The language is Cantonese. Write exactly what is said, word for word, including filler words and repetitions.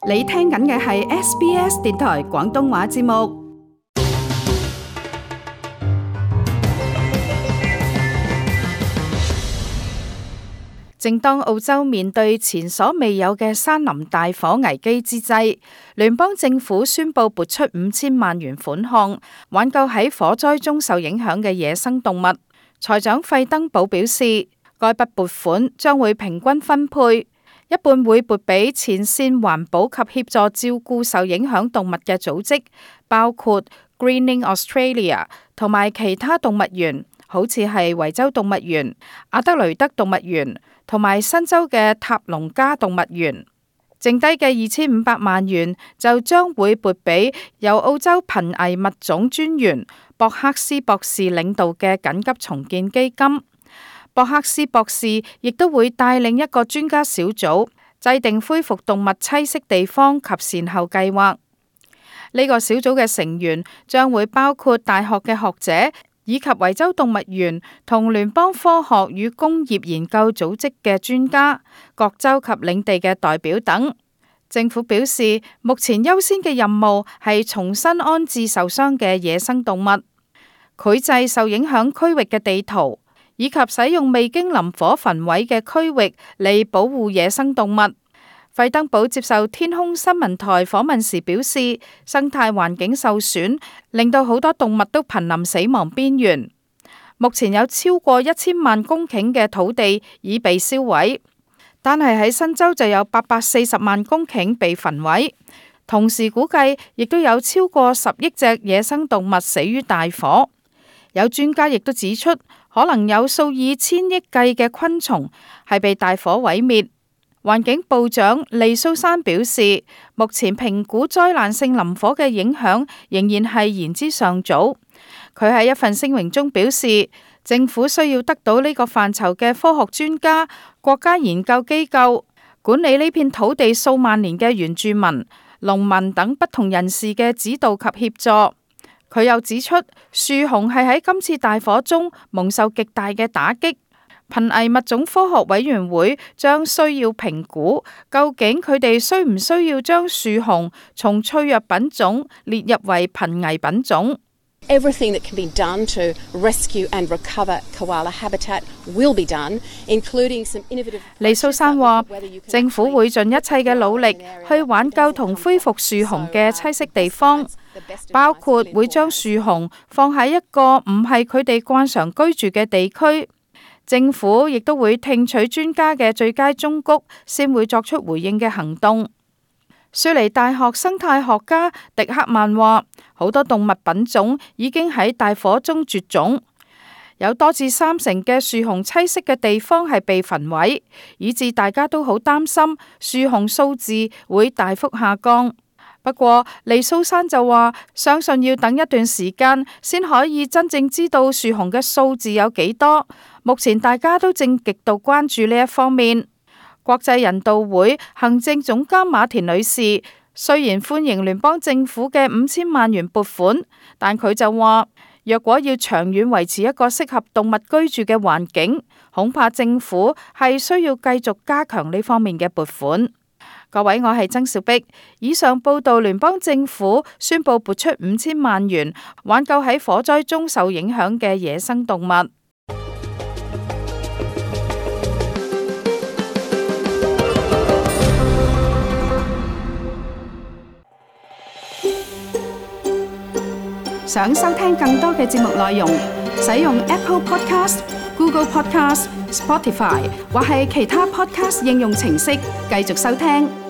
你聽緊嘅係 S B S 電台廣東話節目。正當澳洲面對前所未有嘅山林大火危機之際，聯邦政府宣布撥出五千萬元款項，挽救喺火災中受影響嘅野生動物。財長費登堡表示，該筆撥款將會平均分配。一半會撥俾前線環保及協助照顧受影響動物嘅組織，包括 Greening Australia 同埋其他動物園，好似係維州動物園、阿德雷德動物園同埋新州嘅塔隆加動物園。剩低嘅二千五百萬元就將會撥俾由澳洲瀕危物種專員博克斯博士領導嘅緊急重建基金。博克斯博士亦都會帶領一個專家小組，制定恢復動物棲息地方及善後計劃。呢個小組嘅成員將會包括大學嘅學者，以及維州動物園同聯邦科學與工業研究組織嘅專家、各州及領地嘅代表等。政府表示，目前優先嘅任務係重新安置受傷嘅野生動物，繪製受影響區域嘅地圖，以及使用未經林火焚毀嘅區域嚟保護野生動物。費登堡接受天空新聞台訪問時表示，生態環境受損，令到好多動物都瀕臨死亡邊緣。目前有超過一千萬公頃嘅土地已被燒毀，但係喺新州就有八百四十萬公頃被焚毀。同時估計亦都有超過十億隻野生動物死於大火。有專家亦都指出，可能有數以千億計嘅昆蟲係被大火毀滅。環境部長利蘇珊表示，目前評估災難性林火嘅影響仍然係言之尚早。佢喺一份聲明中表示，政府需要得到呢個範疇嘅科學專家、國家研究機構、管理呢片土地數萬年嘅原住民、農民等不同人士嘅指導及協助。佢又指出，樹熊係喺今次大火中蒙受極大嘅打擊，瀕危物種科學委員會將需要評估，究竟佢哋需唔需要將樹熊從脆弱品種列入為瀕危品種。Everything that can be done to rescue and recover koala habitat will be done, including some innovative. 利蘇珊話，政府會盡一切嘅努力去挽救同恢復樹熊嘅棲息地方，包括會將樹熊放喺一個唔係佢哋慣常居住嘅地區。政府亦都會聽取專家嘅最佳忠告，先會作出回應嘅行動。雪梨大學生態學家迪克曼話，好多動物品種已經喺大火中絕種，有多至三成嘅樹熊棲息嘅地方係被焚毀，以致大家都好擔心樹熊數字會大幅下降。不過，利蘇珊就話，相信要等一段時間先可以真正知道樹熊嘅數字有幾多。目前大家都正極度關注呢一方面。國際人道會行政總監馬田女士雖然歡迎聯邦政府嘅五千萬元撥款，但佢就話，若果要長遠維持一個適合動物居住嘅環境，恐怕政府係需要繼續加強呢方面嘅撥款。各位，我係曾兆碧。以上報道，聯邦政府宣布撥出五千萬元，挽救喺火災中受影響嘅野生動物。想收聽更多嘅節目內容，使用 Apple Podcast、Google Podcast、Spotify 或係其他 Podcast 應用程式繼續收聽。